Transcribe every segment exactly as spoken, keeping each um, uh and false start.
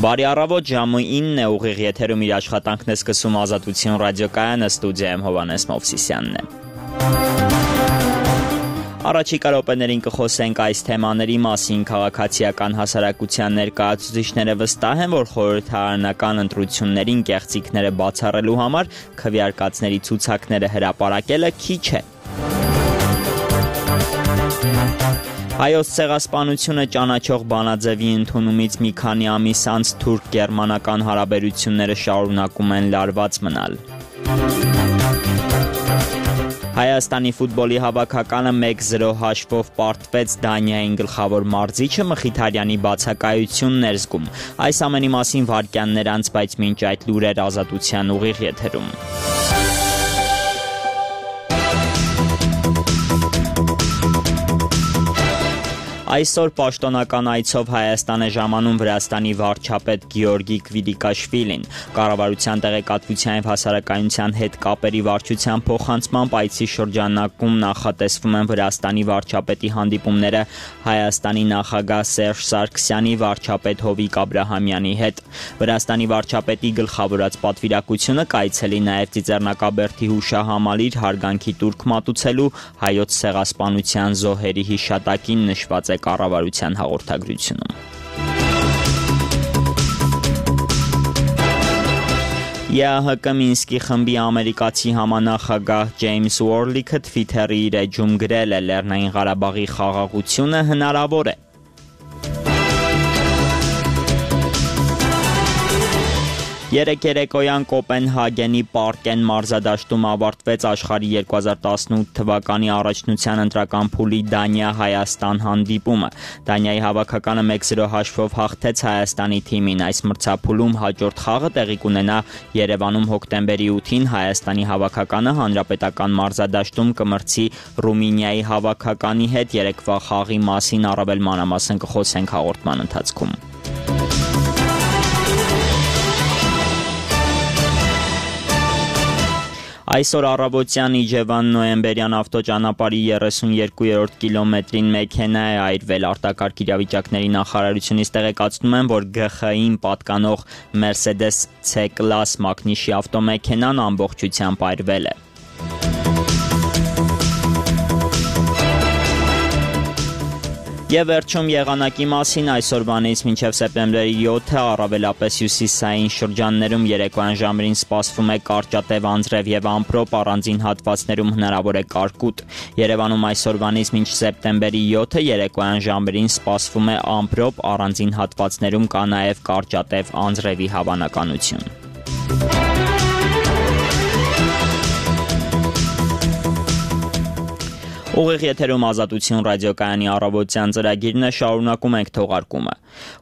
Բարի առավոտ, ժամը ինն է, ուղիղ եթերում իր աշխատանքն է սկսում Ազատություն ռադիոկայանը, ստուդիայում Հովհաննես Մովսիսյանն է։ Առաջիկա րոպեներին կխոսենք այս թեմաների մասին։ Քաղաքացիական հասարակության ներկայացուցիչները վստահ են, որ խորհրդարանական ընտրություններին կեղծիքները բացառելու համար քվեարկածների ցուցակները հրապարակելը քիչ է։ Հայոց ցեղասպանությունը ճանաչող բանաձևի ընդունումից մի քանի ամիս անց թուրք-գերմանական հարաբերությունները շարունակում են լարված մնալ։ Հայաստանի ֆուտբոլի հավաքականը մեկ զրո հաշվով պարտվեց Դանիային գլխավոր մարզիչը Մխիթարյանի բացակայությունն էր զգում։ Այս ամենի մասին վայրկյաններ անց, բայց մինչ այդ լուրեր Ազատության ուղիղ եթերում։ Այսօր պաշտոնական այցով Հայաստան է ժամանում Վրաստանի վարչապետ Գեորգի Կվիլիկաշվիլին։ Կառավարության տեղեկատվության և հասարակայնության հետ կապերի վարչության փոխանցմամբ այցի շրջանակում նախատեսվում են Վրաստանի վարչապետի հանդիպումները Հայաստանի նախագահ Սերժ Սարգսյանի, վարչապետ Հովիկ Աբրահամյանի հետ։ Վրաստանի վարչապետի գլխավորած պատվիրակությունը կայցելի նաև Ծիծեռնակաբերդի հուշահամալիր հարգանքի տուրք մատուցելու հայոց ցեղասպանության զոհերի հիշատակին նշված է կառավարության հաղորդագրությունում։ ԵԱՀԿ Մինսկի խմբի ամերիկացի համանախագահ Ջեյմս Ուորլիքը Թվիթերի իր էջում գրել է՝ Լեռնային Ղարաբաղի խաղաղությունը հնարավոր է։ Երեկ երեկոյան Կոպենհագենի Պարկեն մարզադաշտում ավարտվեց աշխարհի երկու հազար տասնութ թվականի առաջնության ընտրական փուլի Դանիա-Հայաստան հանդիպումը։ Դանիայի հավաքականը մեկ զրո հաշվով հաղթեց Հայաստանի թիմին։ Այս մրցափուլում հաջորդ խաղը տեղի կունենա Երևանում հոկտեմբերի ութին։ Հայաստանի հավաքականը հանրապետական մարզադաշտում կմրցի Ռումինիայի հավաքականի հետ։ Երեկվա խաղի մասին առավել մանրամասն կխոսենք հաղորդման ընթացքում։ Այսօր առավոտյան Իջևան նոյեմբերյան ավտոճանապարհի երեսունյոթերորդ կիլոմետրին մեքենա է այրվել։ Արտակարգ իրավիճակների նախարարությունից տեղեկացնում են, որ Գ Խ I-ին պատկանող Mercedes C-Class մակնիշի ավտոմեքենան ամբողջությամբ այրվել է։ Եվ վերջում եղանակի մասին այսօրվանից մինչև սեպտեմբերի յոթը առավելապես հյուսիսային շրջաններում երեկոյան ժամերին սպասվում է կարճատև անձրև և ամպրոպ, առանձին հատվածներում հնարավոր է կարկուտ։ Երևանում այսօրվանից մինչ սեպտեմբերի յոթը երեկոյան ժամերին սպասվում է ամպրոպ, առանձին հատվածներում կա նաև կարճատև անձրևի հավանականություն։ Ուղիղ եթերում Ազատություն ռադիոկայանի առավոտյան ծրագիրն է, շարունակում ենք թողարկումը։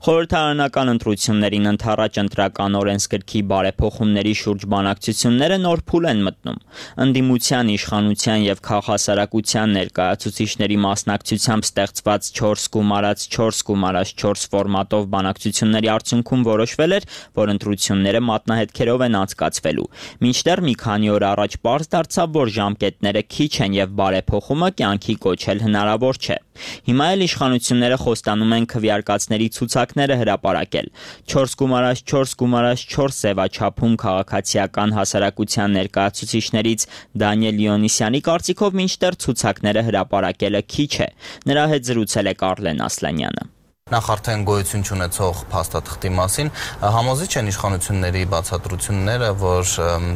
Խորհրդարանական ընտրություններին ընդառաջ ընտրական օրենսգրքի բարեփոխումների շուրջ բանակցությունները նոր փուլ են մտնում։ Ընդդիմության, իշխանության և քաղաքասարակության ներկայացուցիչների մասնակցությամբ ստեղծված չորս գումարած չորս գումարած չորս ֆորմատով բանակցությունների արդյունքում որոշվել էր, որ ընտրությունները մատնահետքերով են անցկացվելու։ Մինչդեռ մի քանի օր առաջ պարզ դարձավ, որ ժամկետները քիչ են և բարեփոխումը կյանքի կոչել հնարավոր չէ։ Հիմա էլ իշխանությունները խոստանում են քվեարկածների ցուցակները հրապարակել։ չորս գումարած չորս գումարած չորս ձևաչափում քաղաքացիական հասարակության ներկայացուցիչներից Դանիել Լիոնիսյանի կարծիքով մինչդեռ ցուցակները հրապարակելը քիչ է։ Նրա հետ զրուցել է Կարլեն Ասլանյանը։ Նախ արդեն գոյություն չունեցող փաստաթղթի մասին համոզիչ են իշխանությունների բացատրությունները, որ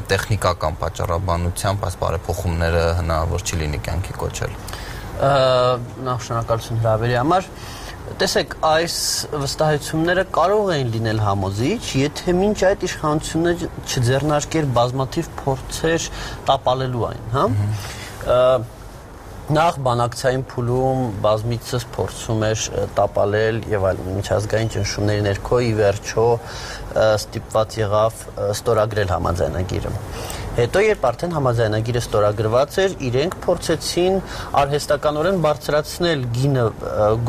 տեխնիկական պատճառաբանությամբ այս բարեփոխումները հնարավոր չի լինի կյանքի կոչել։ Նախ շնորհակալություն հրավերի համար։ Տեսեք, այս վստահությունները կարող են լինել համոզիչ, եթե մինչ այդ իշխանությունը չձեռնարկեր բազմաթիվ փորձեր տապալելու այն, հա։ Նախ բանակցային փուլում բազմիցս փորձում էր տապալել եւ այլն, միջազգային ճնշումների ներքո ի վերջո ստիպված եղավ ստորագրել համաձայնագիրը։ Հետո երբ արդեն համաձայնագիրը ստորագրված էր, իրենք փորձեցին արհեստականորեն բարձրացնել գինը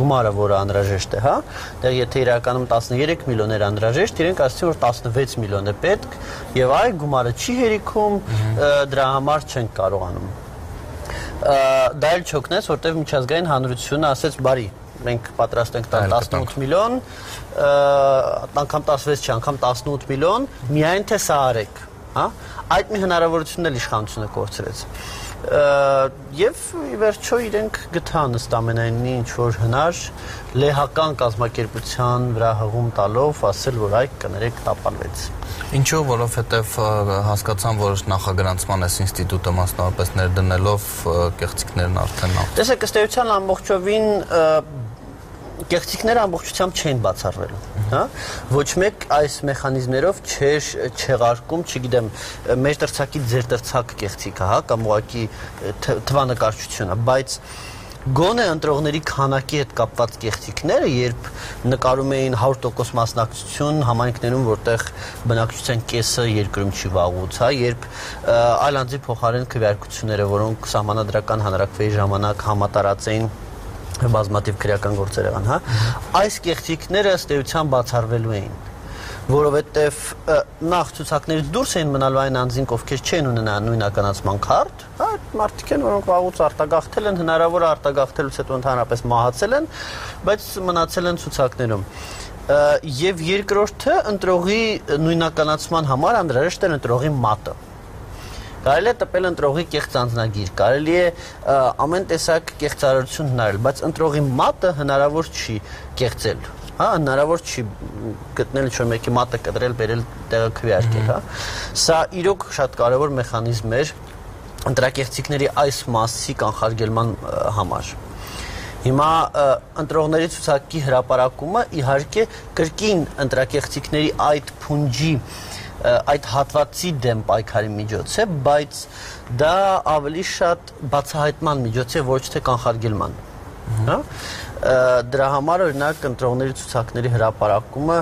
գումարը, որը անհրաժեշտ է, հա։ Դեռ եթե իրականում տասներեք միլիոն էր անհրաժեշտ, իրենք ասացին, որ տասնվեց միլիոն է պետք, եւ այ գումարը չի հերիքում, դրա համար չենք կարողանում։ Դա էլ չօգնեց, որտեղ միջազգային հանրությունը ասեց, բարի, մենք պատրաստ ենք տալ տասնութ միլիոն, անգամ տասնվեց չի, անգամ տասնութ միլիոն, միայն թե սա արեք, հա? Այդ մի հնարավորությունն էլ իշխանությունը կորցրեց։ Եվ ի վերջո իրենք գտան ըստ ամենայնի ինչ-որ հնար լեհական կազմակերպության վրա հղում տալով ասել, որ այ կներեք տապալվեց։ Ինչու, որովհետև հասկացան, որ նախագրանցման այս ինստիտուտը մասնավորապես ներդնելով կեղծիքներն արդեն նախ։ Տեսեք, ըստ էության ամբողջովին կեղծիքները ամբողջությամբ չեն բացառվելու, հա? Ոչ մեկ այս մեխանիզմներով չէր չեղարկում, չգիտեմ, մեր տրցակից ձեր տրցակ կեղծիքը, հա, կամ ուղղակի թվանկարչությունը, բայց գոնե ընտրողների քանակի հետ կապված կեղծիքները, երբ նկարում էին հարյուր տոկոս մասնակցություն համայնքներում, որտեղ բնակչության կեսը երկրում չի վաղուց, հա, երբ այլ անձի փոխարեն քվեարկությունները, որոնք սահմանադրական հանրաքվեի ժամանակ համատարած էին բազմաթիվ քրեական գործեր եղան, հա, այս կեղծիքները ըստ էության բացառվելու էին, որովհետև նախ ցուցակներից դուրս էին մնալու այն անձինք, ովքեր չեն ունենա նույնականացման քարտ, հա, մարդիկ են, որոնք վաղուց արտագաղթել են, հնարավոր է արտագաղթելուց հետո ընդհանրապես մահացել են, բայց մնացել են ցուցակներում։ Եվ երկրորդը ընտրողի նույնականացման համար անհրաժեշտ է ընտրողի մատը։ Կարելի է տպել ընտրողի կեղծ անձնագիր, կարելի է ամեն տեսակ կեղծարարություն հնարել, բայց ընտրողի մատը հնարավոր չի կեղծել, հա, հնարավոր չի գտնել ինչ-որ մեկի մատը կտրել, բերել տեղը քվեարկել, հա։ Սա իրոք շատ կարևոր մեխանիզմ էր ընտրակեղծիքների այս մասի կանխարգելման համար։ Հիմա ընտրողների ցուցակի հրապարակումը իհարկե կրկին ընտրակեղծիքների այդ փունջի այդ հատվածի դեմ պայքարի միջոց է, բայց դա ավելի շատ բացահայտման միջոց է, ոչ թե կանխարգելման, հա? Դրա համար օրինակ ընտրողների ցուցակների հրապարակումը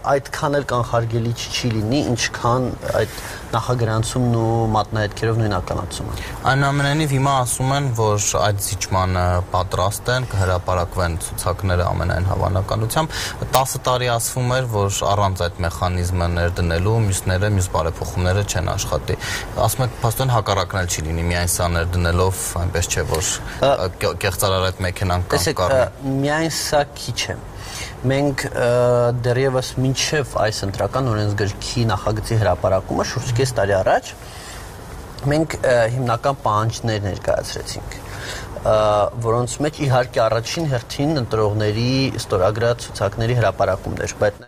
այդքան էլ կանխարգելիչ չի լինի, ինչքան այդ նախագրանցումն ու մատնահետքերով նույնականացումը։ Այնուամենայնիվ հիմա ասում են, որ այդ զիջմանը պատրաստ են, կհրապարակվեն ցուցակները ամենայն հավանականությամբ։ տասը տարի ասվում էր, որ առանց այդ մեխանիզմը ներդնելու մյուսները, մյուս բարեփոխումները չեն աշխատի։ Ասում եք, փաստորեն հակառակն էլ չի լինի, միայն սա ներդնելով, այնպես չէ, որ կեղծարար այդ մեքենան կանգառնի։ Միայն սա քիչ է։ Մենք դեռևս մինչև այս ընտրական օրենսգրքի նախագծի հրապարակումը շուրջ կես տարի առաջ մենք հիմնական պահանջներ ներկայացրեցինք, որոնց մեջ իհարկե առաջին հերթին ընտրողների ստորագրած ցուցակների հրապարակումն էր, բայց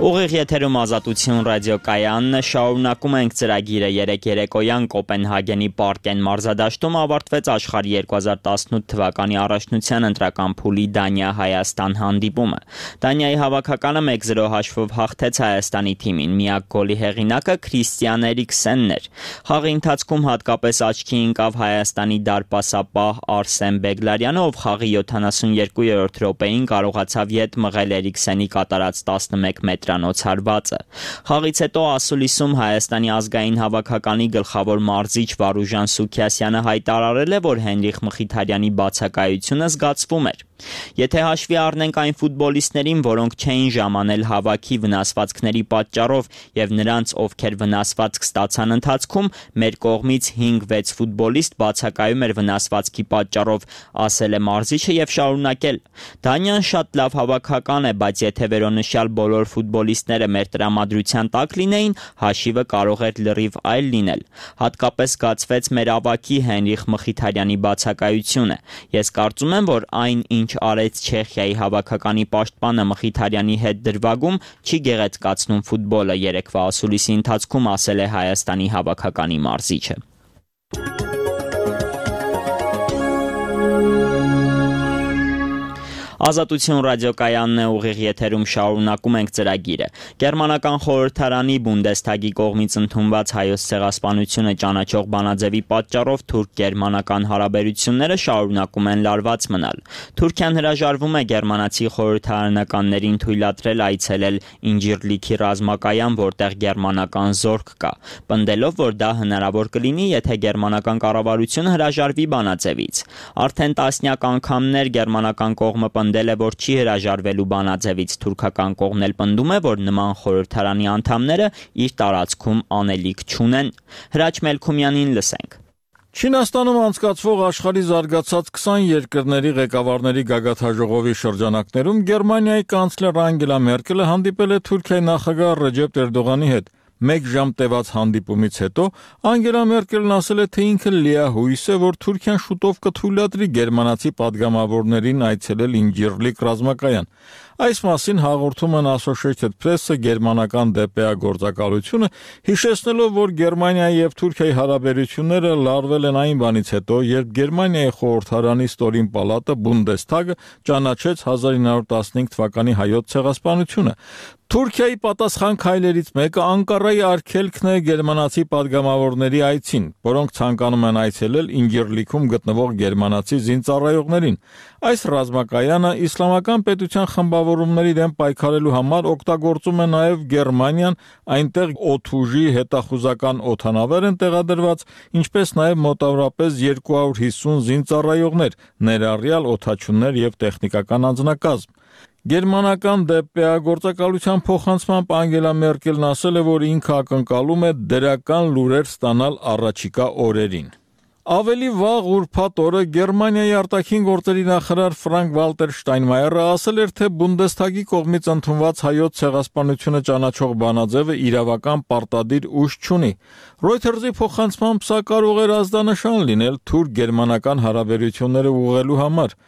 Ուղիղ եթերում Ազատություն ռադիոկայանն է, շարունակում ենք ծրագիրը երեկ երեկոյան Կոպենհագենի Պարկեն մարզադաշտում ավարտվեց աշխարհի երկու հազար տասնութ թվականի առաջնության ընտրական փուլի Դանիա-Հայաստան հանդիպումը։ Դանիայի հավաքականը մեկ զրո հաշվով հաղթեց Հայաստանի թիմին, միակ գոլի հեղինակը Քրիստիան Էրիկսենն էր։ Խաղի ընթացքում հատկապես աչքի ընկավ Հայաստանի դարպասապահ Արսեն Բեգլարյանը, ով խաղի յոթանասունյերկուերորդ րոպեին կարողացավ ետ մղել Էրիկսենի կատարած տասնմեկ մետր հարվածը։ Խաղից հետո ասուլիսում Հայաստանի ազգային հավաքականի գլխավոր մարզիչ Վարուժան Սուքիասյանը հայտարարել է, որ Հենրիխ Մխիթարյանի բացակայությունը զգացվում էր։ Եթե հաշվի առնենք այն ֆուտբոլիստներին, որոնք չէին ժամանել հավաքի վնասվածքների պատճառով եւ նրանց, ովքեր վնասվածք ստացան ընթացքում, մեր կողմից հինգ-վեց ֆուտբոլիստ բացակայում էր վնասվածքի պատճառով, ասել է մարզիչը եւ շարունակել. Դանիան շատ լավ հավաքական է, բայց եթե վերոնշյալ բոլոր ֆուտբոլիստները մեր տրամադրության տակ լինեին, հաշիվը կարող էր լրիվ այլ լինել։ Հատկապես զգացվեց մեր ավագի Հենրիխ Մխիթարյանի բացակայությունը։ Ես կարծում եմ, որ այն, ինչ արեց Չեխիայի հավաքականի պաշտպանը Մխիթարյանի հետ դրվագում, չի գեղեցկացնում ֆուտբոլը, երեկվա ասուլիսի ընթացքում ասել է Հայաստանի հավաքականի մարզիչը։ Ազատություն ռադիոկայանն է, ուղիղ եթերում շարունակում ենք ծրագիրը։ Գերմանական խորհրդարանի Բունդեսթագի կողմից ընդունված հայոց ցեղասպանությունը ճանաչող բանաձևի պատճառով թուրք-գերմանական հարաբերությունները շարունակում են լարված մնալ։ Թուրքիան հրաժարվում է գերմանացի խորհրդարանականներին թույլատրել այցելել Ինջիրլիքի ռազմակայան, որտեղ գերմանական զորք կա, պնդելով, որ դա հնարավոր կլինի, եթե գերմանական կառավարությունը հրաժարվի բանաձևից։ Արդեն տասնյակ անգամներ գերմանական կողմը պնդել է, որ չի հրաժարվելու բանաձևից, թուրքական կողմն էլ պնդում է, որ նման խորհրդարանի անդամները իր տարածքում անելիք չունեն։ Հրաչ Մելքումյանին լսենք։ Չինաստանում անցկացվող աշխարհի զարգացած քսան երկրների ղեկավարների գագաթնաժողովի շրջանակներում Գերմանիայի կանցլեր Անգելա Մերկելը հանդիպել է Թուրքիայի նախագահ Ռեջեփ Էրդողանի հետ։ Մեկ ժամ տևած հանդիպումից հետո Անգելա Մերկելն ասել է, թե ինքը լիահույս է, որ Թուրքիան շուտով կթույլատրի գերմանացի падգամավորներին այցելել Ինջիրլիկ ռազմակայան։ Այս մասին հաղորդում են Associated Press-ը գերմանական դե պե ա գործակալությունը, հիշեցնելով, որ Գերմանիայի եւ Թուրքիայի հարաբերությունները լարվել են այն բանից հետո, երբ Գերմանիայի խորհրդարանի ստորին պալատը Բունդեսթագը ճանաչեց հազար ինը հարյուր տասնհինգ թվականի հայոց ցեղասպանությունը։ Թուրքիայի պատասխան քայլերից մեկը Անկարայի արգելքն է գերմանացի падգամավորների այցին, որոնք ցանկանում են այցելել Ինջիրլիքում գտնվող գերմանացի զինծառայողներին։ Այս ռազմակայանը իսլամական պետության խմբավորումների դեմ պայքարելու համար օգտագործում է նաև Գերմանիան, այնտեղ օդուժի հետախուզական օդանավեր են տեղադրված, ինչպես նաև մոտավորապես երկու հարյուր հիսուն զինծառայողներ, ներառյալ օդաչուներ եւ տեխնիկական անձնակազմ։ Գերմանական դե պե ա գործակալության փոխանցմամբ Անգելա Մերկելն ասել է, որ ինքը ակնկալում է դրական լուրեր ստանալ առաջիկա օրերին։ Ավելի վաղ ուրբաթ օրը Գերմանիայի արտաքին գործերի նախարար Ֆրանկ Վալտեր Շտայնմայերը ասել էր, թե Բունդեսթագի կողմից ընդունված հայոց ցեղասպանությունը ճանաչող բանաձևը իրավական պարտադիր ուժ չունի։ Reuters-ի փոխանցմամբ սա կարող էր ազդանշան լինել թուրք-գերմանական հարաբերությունները ուղղելու համար։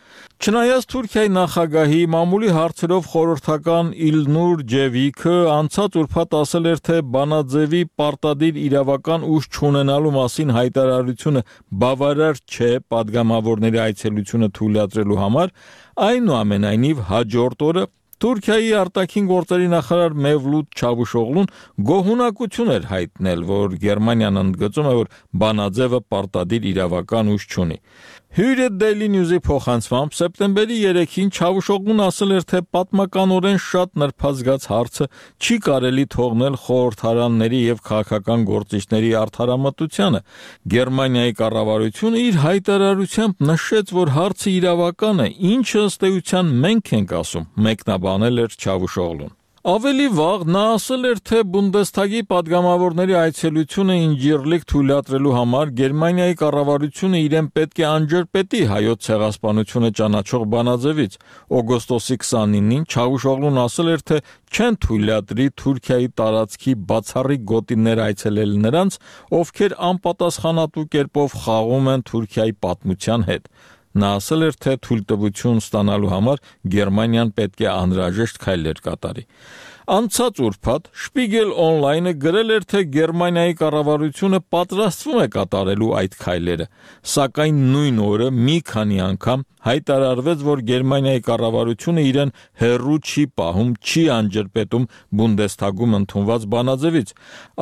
Չնայած Թուրքիայի նախագահի մամուլի հարցերով խորհրդական Իլնուր Ջևիքը անցած ուրբաթ ասել էր, թե բանաձևի պարտադիր իրավական ուժ չունենալու մասին հայտարարությունը բավարար չէ падգամավորների այցելությունը թույլատրելու համար, այնուամենայնիվ հաջորդ օրը Թուրքիայի արտաքին գործերի նախարար Մևլութ Չավուշօղլուն գոհունակություն էր հայտնել, որ Գերմանիան ընդգծում է, որ բանաձևը պարտադիր իրավական ուժ չունի։ Hürriyet Daily News-ի փոխանցմամբ սեպտեմբերի երեքին Չավուշօղլուն ասել էր, թե պատմականորեն շատ նրբազգաց հարցը չի կարելի թողնել խորհրդարանների եւ քաղաքական գործիչների արդարամտությանը։ Գերմանիայի կառավարությունը իր հայտարարությամբ նշեց, որ հարցը իրավական է, ինչը ըստ էության մենք ենք ասում, մեկնաբանել էր Չավուշօղլուն։ Ավելի վաղ նա ասել էր, թե Բունդեսթագի падգամավորների այցելությունը Ինջիրլիկ թույլատրելու համար Գերմանիայի կառավարությունը իրեն պետք է անջրպետի հայոց ցեղասպանությունը ճանաչող բանաձևից։ Օգոստոսի քսանինին Չավուշօղլուն ասել էր, թե չեն թույլատրի Թուրքիայի տարածքի բացառիկ գոտիներ այցելել նրանց, ովքեր անպատասխանատու կերպով խաղում են Թուրքիայի պատմության հետ։ Նա ասել էր, թե թույլտվություն ստանալու համար Գերմանիան պետք է անհրաժեշտ քայլեր կատարի։ Անցած ուրբաթ Spiegel Online-ը գրել էր, թե Գերմանիայի կառավարությունը պատրաստվում է կատարելու այդ քայլերը, սակայն նույն օրը մի քանի անգամ հայտարարվեց, որ Գերմանիայի կառավարությունը իրեն հեռու չի պահում, չի անջրպետում Բունդեսթագում ընդունված բանաձևից։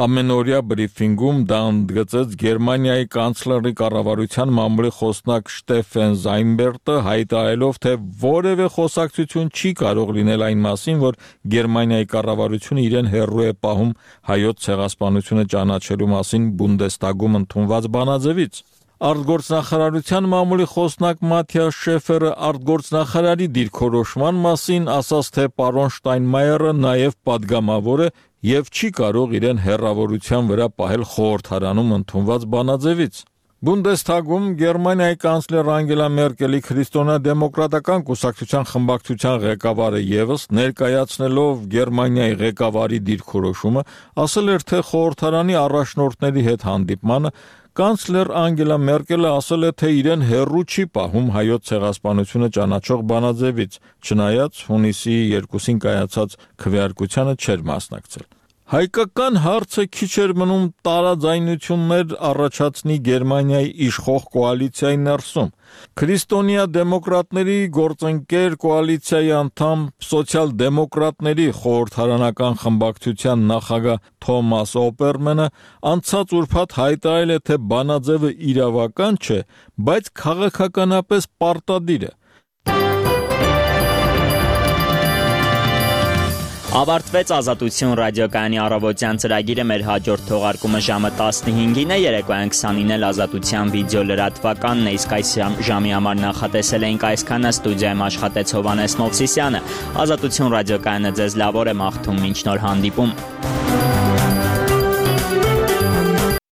Ամենօրյա բրիֆինգում դա ընդգծեց Գերմանիայի կանցլերի կառավարության մամուլի խոսնակ Շտեֆեն Զայնբերտը, հայտարարելով, թե որևէ խոսակցություն չի կարող լինել այն մասին, որ Գերմանիայի կառավարությունը իրեն հեռու է պահում հայոց ցեղասպանությունը ճանաչելու մասին Բունդեսթագում ընդունված բանաձևից։ Արտգործնախարարության մամուլի խոսնակ Մաթիաս Շեֆերը արտգործնախարարի դիրքորոշման մասին ասաց, թե պարոն Շտայնմայերը նաև падգամավոր է եւ չի կարող իրեն հեռավորության վրա պահել խորհրդարանում ընդունված բանաձևից։ Բունդեսթագում Գերմանիայի կանցլեր Անգելա Մերկելի քրիստոնեա-դեմոկրատական կուսակցության խմբակցության ղեկավարը եւս ներկայացնելով Գերմանիայի ղեկավարի դիրքորոշումը, ասել էր, թե խորհրդարանի առաջնորդների հետ հանդիպմանը կանցլեր Անգելա Մերկելը ասել է, թե իրեն հեռու չի պահում հայոց ցեղասպանությունը ճանաչող բանաձևից, չնայած հունիսի երկուսին կայացած քվեարկությանը չէր մասնակցել։ Հայկական հարցը քիչ էր մնում տարաձայնություններ առաջացնի Գերմանիայի իշխող կոալիցիայի ներսում։ Քրիստոնեա-դեմոկրատների գործընկեր կոալիցիայի անդամ սոցիալ-դեմոկրատների խորհրդարանական խմբակցության նախագահ Թոմաս Օպերմանը անցած ուրբաթ հայտարարել է, թե բանաձևը իրավական չէ, բայց քաղաքականապես պարտադիր է։ Ավարտվեց Ազատություն ռադիոկայանի առավոտյան ծրագիրը, մեր հաջորդ թողարկումը ժամը տասնհինգին է, երեկոյան քսանինը ազատության վիդեո լրատվականն է, իսկ այս ժամի համար նախատեսել էինք այսքանը, ստուդիայում աշխատեց Հովհաննես Մովսիսյանը։ Ազատություն ռադիոկայանը ձեզ լավ օր է մաղթում, մինչ նոր հանդիպում։